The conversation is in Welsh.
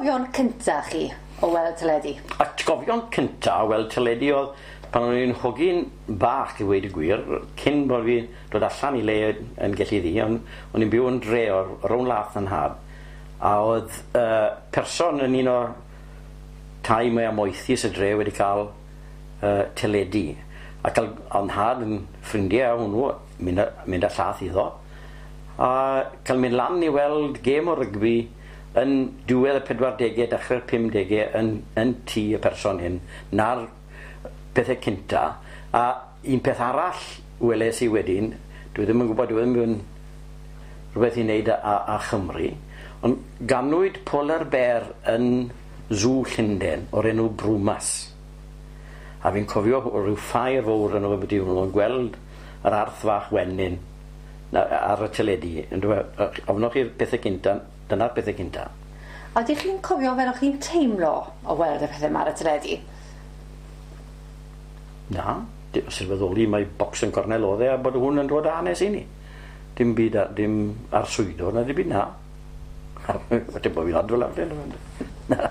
atgofion cynta chi o weld teledu? Atgofion cynta o weld teledu oedd pan o'n i'n hogyn bach i weud y gwir, cyn bod fi dod allan i le yn Gelli Ddu, ond o'n i'n byw yn dre o'r rownd lath yn nhad, a oedd person yn un o'r tai mwya moethus y dre wedi cael teledu, a cael o'n nhad yn ffrindiau â hwnnw, mynd â, mynd â llath iddo, a cael mynd lan i weld gêm o rygbi yn diwedd y 40au, dechrau'r 50au yn, yn tŷ y person hyn, na'r pethau cynta. A un peth arall weles i wedyn, dwi ddim yn gwybod, dwi ddim yn rhywbeth i wneud â Chymru, ond ganwyd polar bear yn Zoo Llundain o'r enw Brwmas. A fi'n cofio rhyw ffair fawr yn o beth hwnnw, yn gweld yr arth fach wenyn ar y teledu. Ofnoch chi'r pethau cynta, dyna'r pethau cynta. A ydych chi'n cofio fel o'ch chi'n teimlo o weld y pethau yma ar y teledu? Na, sylweddoli mae bocs yn cornel oedd e a bod hwn yn dod â hanes i ni. Dim byd, dim arswydo na dim byd na. Dim bod fi'n adfel ar. Na.